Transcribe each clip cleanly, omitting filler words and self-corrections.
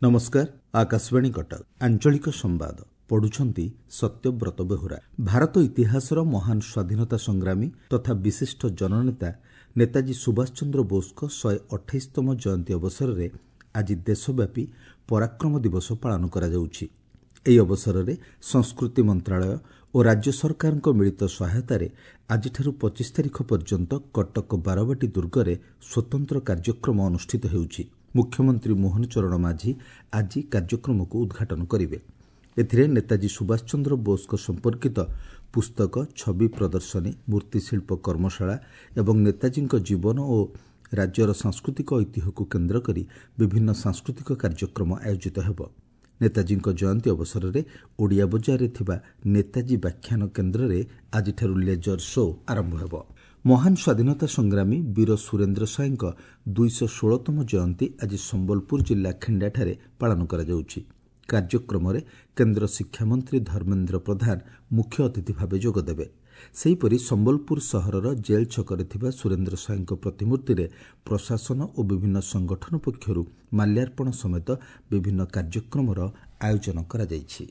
ନମସ୍କାର, ଆକାଶବାଣୀ କଟକ, ଆଞ୍ଚଳିକ ସମ୍ବାଦ ପଢୁଛନ୍ତି ସତ୍ୟବ୍ରତ ବେହୁରା। ଭାରତ ଇତିହାସର ମହାନ ସ୍ୱାଧୀନତା ସଂଗ୍ରାମୀ ତଥା ବିଶିଷ୍ଟ ଜନନେତା ନେତାଜୀ ସୁଭାଷ ଚନ୍ଦ୍ର ବୋଷଙ୍କ 128ତମ ଜୟନ୍ତୀ ଅବସରରେ ଆଜି ଦେଶବ୍ୟାପୀ ପରାକ୍ରମ ଦିବସ ପାଳନ କରାଯାଉଛି। ଏହି ଅବସରରେ ସଂସ୍କୃତି ମନ୍ତ୍ରଣାଳୟ ଓ ରାଜ୍ୟ ସରକାରଙ୍କ ମିଳିତ ସହାୟତାରେ ଆଜିଠାରୁ 25 ତାରିଖ ପର୍ଯ୍ୟନ୍ତ କଟକ ବାରବାଟୀ ଦୁର୍ଗରେ ସ୍ୱତନ୍ତ୍ର କାର୍ଯ୍ୟକ୍ରମ ଅନୁଷ୍ଠିତ ହେଉଛି। ମୁଖ୍ୟମନ୍ତ୍ରୀ ମୋହନ ଚରଣ ମାଝୀ ଆଜି କାର୍ଯ୍ୟକ୍ରମକୁ ଉଦ୍ଘାଟନ କରିବେ। ଏଥିରେ ନେତାଜୀ ସୁଭାଷ ଚନ୍ଦ୍ର ବୋଷଙ୍କ ସମ୍ପର୍କିତ ପୁସ୍ତକ, ଛବି ପ୍ରଦର୍ଶନୀ, ମୂର୍ତ୍ତିଶିଳ୍ପ କର୍ମଶାଳା ଏବଂ ନେତାଜୀଙ୍କ ଜୀବନ ଓ ରାଜ୍ୟର ସାଂସ୍କୃତିକ ଐତିହ୍ୟକୁ କେନ୍ଦ୍ର କରି ବିଭିନ୍ନ ସାଂସ୍କୃତିକ କାର୍ଯ୍ୟକ୍ରମ ଆୟୋଜିତ ହେବ। ନେତାଜୀଙ୍କ ଜୟନ୍ତୀ ଅବସରରେ ଓଡ଼ିଆ ବଜାରରେ ଥିବା ନେତାଜୀ ବ୍ୟାଖ୍ୟାନ କେନ୍ଦ୍ରରେ ଆଜିଠାରୁ ଲେଜର ଶୋ ଆରମ୍ଭ ହେବ। ମହାନ ସ୍ୱାଧୀନତା ସଂଗ୍ରାମୀ ବୀର ସୁରେନ୍ଦ୍ର ସାଏଙ୍କ 216ତମ ଜୟନ୍ତୀ ଆଜି ସମ୍ବଲପୁର ଜିଲ୍ଲା ଖିଣ୍ଡାଠାରେ ପାଳନ କରାଯାଉଛି। କାର୍ଯ୍ୟକ୍ରମରେ କେନ୍ଦ୍ର ଶିକ୍ଷାମନ୍ତ୍ରୀ ଧର୍ମେନ୍ଦ୍ର ପ୍ରଧାନ ମୁଖ୍ୟ ଅତିଥି ଭାବେ ଯୋଗଦେବେ। ସେହିପରି ସମ୍ବଲପୁର ସହରର ଜେଲ୍ ଛକରେ ଥିବା ସୁରେନ୍ଦ୍ର ସାଏଙ୍କ ପ୍ରତିମୂର୍ତ୍ତିରେ ପ୍ରଶାସନ ଓ ବିଭିନ୍ନ ସଂଗଠନ ପକ୍ଷରୁ ମାଲ୍ୟାର୍ପଣ ସମେତ ବିଭିନ୍ନ କାର୍ଯ୍ୟକ୍ରମର ଆୟୋଜନ କରାଯାଇଛି।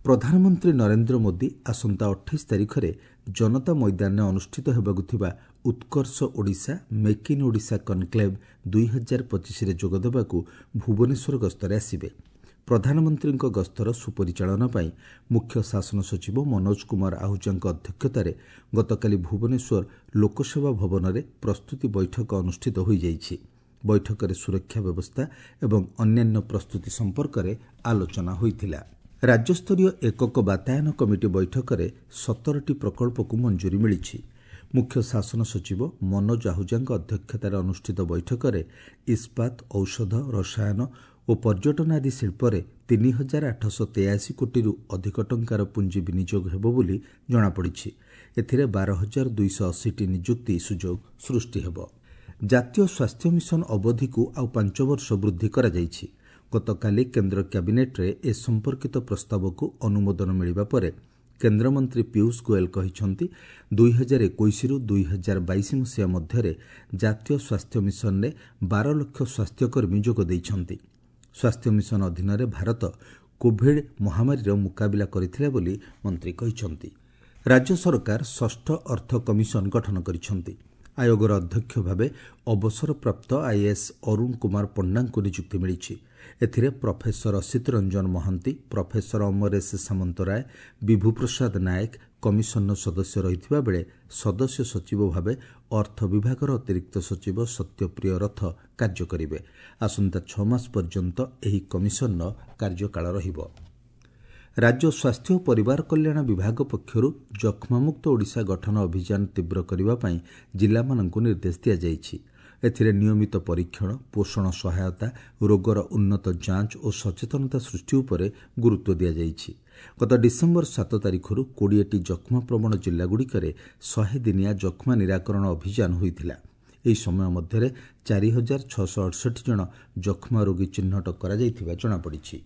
ପ୍ରଧାନମନ୍ତ୍ରୀ ନରେନ୍ଦ୍ର ମୋଦି ଆସନ୍ତା 28 ତାରିଖରେ ଜନତା ମଇଦାନରେ ଅନୁଷ୍ଠିତ ହେବାକୁ ଥିବା Utkarsh Odisha make in Odisha conclave 2025ରେ ଯୋଗଦେବାକୁ ଭୁବନେଶ୍ୱର ଗସ୍ତରେ ଆସିବେ। ପ୍ରଧାନମନ୍ତ୍ରୀଙ୍କ ଗସ୍ତର ସୁପରିଚାଳନା ପାଇଁ ମୁଖ୍ୟ ଶାସନ ସଚିବ ମନୋଜ କୁମାର ଆହୁଜାଙ୍କ ଅଧ୍ୟକ୍ଷତାରେ ଗତକାଲି ଭୁବନେଶ୍ୱର ଲୋକସେବା ଭବନରେ ପ୍ରସ୍ତୁତି ବୈଠକ ଅନୁଷ୍ଠିତ ହୋଇଯାଇଛି। ବୈଠକରେ ସୁରକ୍ଷା ବ୍ୟବସ୍ଥା ଏବଂ ଅନ୍ୟାନ୍ୟ ପ୍ରସ୍ତୁତି ସମ୍ପର୍କରେ ଆଲୋଚନା ହୋଇଥିଲା। ରାଜ୍ୟସ୍ତରୀୟ ଏକକ ବାତାୟନ କମିଟି ବୈଠକରେ 17ଟି ପ୍ରକଳ୍ପକୁ ମଞ୍ଜୁରୀ ମିଳିଛି। ମୁଖ୍ୟ ଶାସନ ସଚିବ ମନୋଜ ଆହୁଜାଙ୍କ ଅଧ୍ୟକ୍ଷତାରେ ଅନୁଷ୍ଠିତ ବୈଠକରେ ଇସ୍ପାତ, ଔଷଧ, ରସାୟନ ଓ ପର୍ଯ୍ୟଟନ ଆଦି ଶିଳ୍ପରେ 3883 କୋଟିରୁ ଅଧିକ ଟଙ୍କାର ପୁଞ୍ଜି ବିନିଯୋଗ ହେବ ବୋଲି ଜଣାପଡ଼ିଛି। ଏଥିରେ 12,280ଟି ନିଯୁକ୍ତି ସୁଯୋଗ ସୃଷ୍ଟି ହେବ। ଜାତୀୟ ସ୍ୱାସ୍ଥ୍ୟ ମିଶନ ଅବଧିକୁ ଆଉ 5 ବର୍ଷ ବୃଦ୍ଧି କରାଯାଇଛି। ଗତକାଲି କେନ୍ଦ୍ର କ୍ୟାବିନେଟ୍ରେ ଏ ସମ୍ପର୍କିତ ପ୍ରସ୍ତାବକୁ ଅନୁମୋଦନ ମିଳିବା ପରେ କେନ୍ଦ୍ରମନ୍ତ୍ରୀ ପୀୟୁଷ ଗୋଏଲ କହିଛନ୍ତି, 2021ରୁ 2022 ମସିହା ମଧ୍ୟରେ ଜାତୀୟ ସ୍ୱାସ୍ଥ୍ୟ ମିଶନରେ 12 ଲକ୍ଷ ସ୍ୱାସ୍ଥ୍ୟକର୍ମୀ ଯୋଗ ଦେଇଛନ୍ତି। ସ୍ୱାସ୍ଥ୍ୟ ମିଶନ ଅଧୀନରେ ଭାରତ କୋଭିଡ୍ ମହାମାରୀର ମୁକାବିଲା କରିଥିଲା ବୋଲି ମନ୍ତ୍ରୀ କହିଛନ୍ତି। ରାଜ୍ୟ ସରକାର ଷଷ୍ଠ ଅର୍ଥ କମିଶନ ଗଠନ କରିଛନ୍ତି। ଆୟୋଗର ଅଧ୍ୟକ୍ଷ ଭାବେ ଅବସରପ୍ରାପ୍ତ ଆଇଏଏସ୍ ଅରୁଣ କୁମାର ପଣ୍ଡାଙ୍କୁ ନିଯୁକ୍ତି ମିଳିଛି। ଏଥିରେ professor Asit Ranjan Mohanty, professor Amaresh Samantaray, Bibhu Prasad Nayak commissioner ସଦସ୍ୟ ରହିଥିବା ବେଳେ ସଦସ୍ୟ ସଚିବ ଭାବେ ଅର୍ଥ ବିଭାଗର ଅତିରିକ୍ତ ସଚିବ ସତ୍ୟପ୍ରିୟ ରଥ କାର୍ଯ୍ୟ କରିବେ। ଆସନ୍ତା 6 ମାସ ପର୍ଯ୍ୟନ୍ତ ଏହି କମିଶନର କାର୍ଯ୍ୟକାଳ ରହିବ। ରାଜ୍ୟ ସ୍ୱାସ୍ଥ୍ୟ ଓ ପରିବାର କଲ୍ୟାଣ ବିଭାଗ ପକ୍ଷରୁ ଯକ୍ଷ୍ମାମୁକ୍ତ ଓଡ଼ିଶା ଗଠନ ଅଭିଯାନ ତୀବ୍ର କରିବା ପାଇଁ ଜିଲ୍ଲାମାନଙ୍କୁ ନିର୍ଦ୍ଦେଶ ଦିଆଯାଇଛି। ଏଥିରେ ନିୟମିତ ପରୀକ୍ଷଣ, ପୋଷଣ ସହାୟତା, ରୋଗର ଉନ୍ନତ ଯାଞ୍ଚ ଓ ସଚେତନତା ସୃଷ୍ଟି ଉପରେ ଗୁରୁତ୍ୱ ଦିଆଯାଇଛି। ଗତ ଡିସେମ୍ବର 7 ତାରିଖରୁ 20ଟି ଯକ୍ଷ୍ମାପ୍ରବଣ ଜିଲ୍ଲାଗୁଡ଼ିକରେ 100 ଦିନିଆ ଯକ୍ଷ୍ମା ନିରାକରଣ ଅଭିଯାନ ହୋଇଥିଲା। ଏହି ସମୟ ମଧ୍ୟରେ 4668 ଜଣ ଯକ୍ଷ୍ମା ରୋଗୀ ଚିହ୍ନଟ କରାଯାଇଥିବା ଜଣାପଡ଼ିଛି।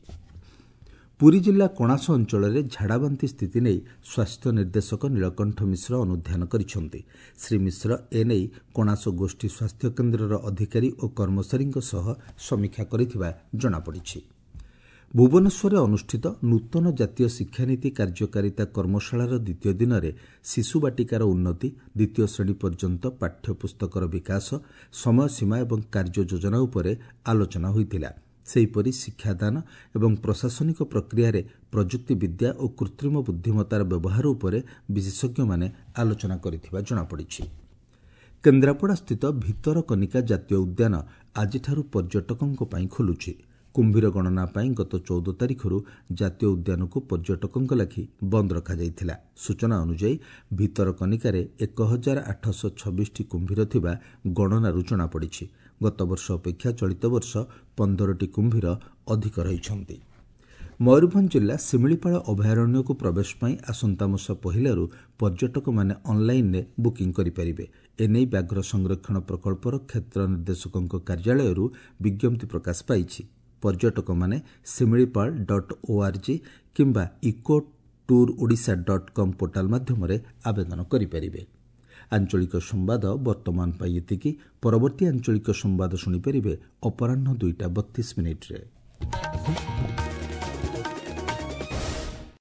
ପୁରୀ ଜିଲ୍ଲା କଣାସ ଅଞ୍ଚଳରେ ଝାଡ଼ାବାନ୍ତି ସ୍ଥିତି ନେଇ ସ୍ୱାସ୍ଥ୍ୟ ନିର୍ଦ୍ଦେଶକ ନୀଳକଣ୍ଠ ମିଶ୍ର ଅନୁଧ୍ୟାନ କରିଛନ୍ତି। ଶ୍ରୀ ମିଶ୍ର ଏନେଇ କଣାସ ଗୋଷ୍ଠୀ ସ୍ୱାସ୍ଥ୍ୟକେନ୍ଦ୍ରର ଅଧିକାରୀ ଓ କର୍ମଚାରୀଙ୍କ ସହ ସମୀକ୍ଷା କରିଥିବା ଜଣାପଡ଼ିଛି। ଭୁବନେଶ୍ୱରରେ ଅନୁଷ୍ଠିତ ନୂତନ ଜାତୀୟ ଶିକ୍ଷାନୀତି କାର୍ଯ୍ୟକାରିତା କର୍ମଶାଳାର ଦ୍ୱିତୀୟ ଦିନରେ ଶିଶୁ ବାଟିକାର ଉନ୍ନତି, ଦ୍ୱିତୀୟ ଶ୍ରେଣୀ ପର୍ଯ୍ୟନ୍ତ ପାଠ୍ୟପୁସ୍ତକର ବିକାଶ, ସମୟସୀମା ଏବଂ କାର୍ଯ୍ୟ ଯୋଜନା ଉପରେ ଆଲୋଚନା ହୋଇଥିଲା। ସେହିପରି ଶିକ୍ଷାଦାନ ଏବଂ ପ୍ରଶାସନିକ ପ୍ରକ୍ରିୟାରେ ପ୍ରଯୁକ୍ତିବିଦ୍ୟା ଓ କୃତ୍ରିମ ବୁଦ୍ଧିମତ୍ତାର ବ୍ୟବହାର ଉପରେ ବିଶେଷଜ୍ଞମାନେ ଆଲୋଚନା କରିଥିବା ଜଣାପଡ଼ିଛି। କେନ୍ଦ୍ରାପଡ଼ାସ୍ଥିତ ଭିତରକନିକା ଜାତୀୟ ଉଦ୍ୟାନ ଆଜିଠାରୁ ପର୍ଯ୍ୟଟକଙ୍କ ପାଇଁ ଖୋଲୁଛି। କୁମ୍ଭୀର ଗଣନା ପାଇଁ ଗତ 14 ତାରିଖରୁ ଜାତୀୟ ଉଦ୍ୟାନକୁ ପର୍ଯ୍ୟଟକଙ୍କ ଲାଗି ବନ୍ଦ ରଖାଯାଇଥିଲା। ସୂଚନା ଅନୁଯାୟୀ ଭିତରକନିକାରେ 1826ଟି କୁମ୍ଭୀର ଥିବା ଗଣନାରୁ ଜଣାପଡ଼ିଛି। ଗତବର୍ଷ ଅପେକ୍ଷା ଚଳିତ ବର୍ଷ 15ଟି କୁମ୍ଭୀର ଅଧିକ ରହିଛନ୍ତି। ମୟୂରଭଞ୍ଜ ଜିଲ୍ଲା ଶିମିଳିପାଳ ଅଭୟାରଣ୍ୟକୁ ପ୍ରବେଶ ପାଇଁ ଆସନ୍ତା ମାସ 1ରୁ ପର୍ଯ୍ୟଟକମାନେ ଅନ୍ଲାଇନ୍ରେ ବୁକିଂ କରିପାରିବେ। ଏନେଇ ବ୍ୟାଘ୍ର ସଂରକ୍ଷଣ ପ୍ରକଳ୍ପର କ୍ଷେତ୍ର ନିର୍ଦ୍ଦେଶକଙ୍କ କାର୍ଯ୍ୟାଳୟରୁ ବିଜ୍ଞପ୍ତି ପ୍ରକାଶ ପାଇଛି। ପର୍ଯ୍ୟଟକମାନେ ଶିମିଳିପାଳ ଡଟ୍ ଓଆର୍ଜି କିମ୍ବା eco tour Odisha dot com portal ମାଧ୍ୟମରେ ଆବେଦନ କରିପାରିବେ। ଆଞ୍ଚଳିକ ସମ୍ବାଦ ବର୍ତ୍ତମାନ ପାଇଁ ଏତିକି। ପରବର୍ତ୍ତୀ ଆଞ୍ଚଳିକ ସମ୍ବାଦ ଶୁଣିପାରିବେ ଅପରାହ୍ନ 2ଟା 32 ମିନିଟ୍ରେ।